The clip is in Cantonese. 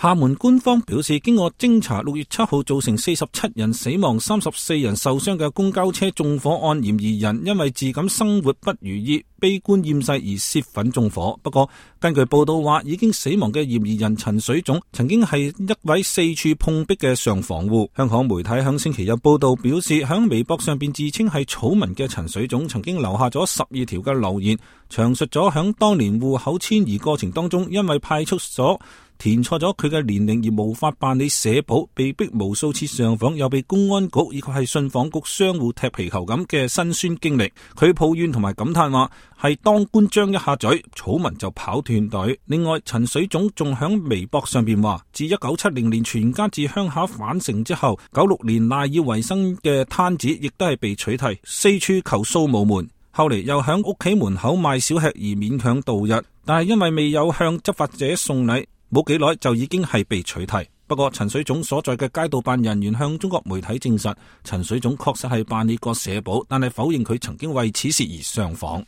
廈門官方表示，經過偵查，6月7號造成47人死亡、34人受傷嘅公交車縱火案嫌疑人，因為自感生活不如意、悲觀厭世而洩憤縱火。不過，根據報道話，已經死亡嘅嫌疑人陳水總曾經係一位四處碰壁嘅上訪戶。香港媒體響星期日報道表示，響微博上邊自稱係草民嘅陳水總曾經留下咗12條嘅留言，詳述咗響當年戶口遷移過程當中，因為派出所填錯咗佢嘅年齡而無法辦理社保，被逼無數次上訪，又被公安局以及係信訪局商戶踢皮球咁嘅辛酸經歷。佢抱怨同埋感嘆話，係當官張一下嘴，草民就跑斷隊。另外，陳水總仲響微博上邊話，自1970年全家自鄉下返城之後，96年賴以為生嘅攤子亦都係被取締，四處求掃無門。後嚟又響屋企門口賣小吃而勉強度日，但係因為未有向執法者送禮，冇幾耐就已經係被取締。不過陳水總所在嘅街道辦人員向中國媒體證實，陳水總確實係辦理過社保，但係否認佢曾經為此事而上訪。